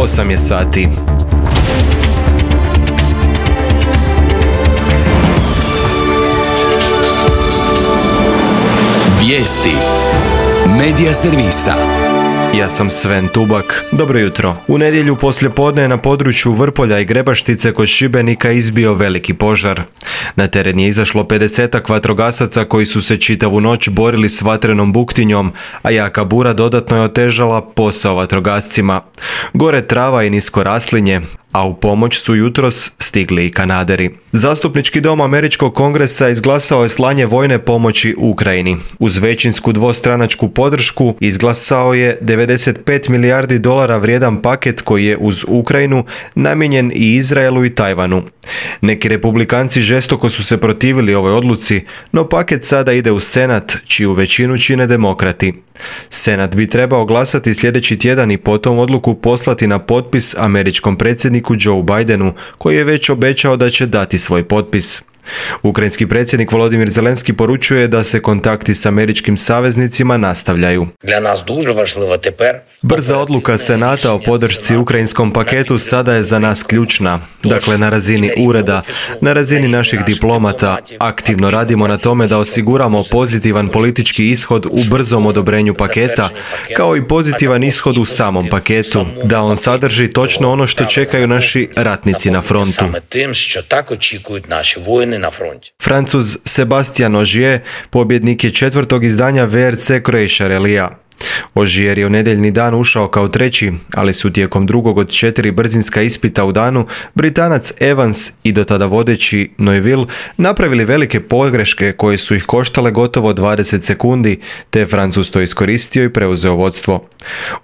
8 je sati. Vijesti Medija servisa. Ja sam Sven Tubak. Dobro jutro. U nedjelju poslijepodne je na području Vrpolja i Grebaštice kod Šibenika izbio veliki požar. Na teren je izašlo 50-ak vatrogasaca koji su se čitavu noć borili s vatrenom buktinjom, a jaka bura dodatno je otežala posao vatrogascima. Gore trava i nisko raslinje, a u pomoć su jutros stigli i Kanaderi. Zastupnički dom Američkog kongresa izglasao je slanje vojne pomoći Ukrajini. Uz većinsku dvostranačku podršku izglasao je 95 milijardi dolara vrijedan paket koji je uz Ukrajinu namijenjen i Izraelu i Tajvanu. Neki republikanci žestoko su se protivili ovoj odluci, no paket sada ide u Senat, čiju većinu čine demokrati. Senat bi trebao glasati sljedeći tjedan i potom odluku poslati na potpis američkom predsjedniku Joe Bidenu, koji je već obećao da će dati svoj potpis. Ukrajinski predsjednik Volodymyr Zelenski poručuje da se kontakti s američkim saveznicima nastavljaju. Brza odluka Senata o podršci ukrajinskom paketu sada je za nas ključna. Dakle, na razini ureda, na razini naših diplomata, aktivno radimo na tome da osiguramo pozitivan politički ishod u brzom odobrenju paketa, kao i pozitivan ishod u samom paketu, da on sadrži točno ono što čekaju naši ratnici na frontu. Francuz Sébastien Ogier pobjednik je 4. izdanja VRC Croatia Rallyja. Ogier je u nedjeljni dan ušao kao treći, ali su tijekom drugog od 4 brzinska ispita u danu Britanac Evans i do tada vodeći Neuville napravili velike pogreške koje su ih koštale gotovo 20 sekundi, te je Francuz to iskoristio i preuzeo vodstvo.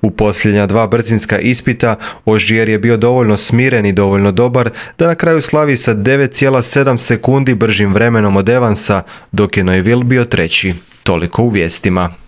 U posljednja 2 brzinska ispita Ogier je bio dovoljno smiren i dovoljno dobar da na kraju slavi sa 9,7 sekundi bržim vremenom od Evansa, dok je Neuville bio treći. Toliko u vijestima.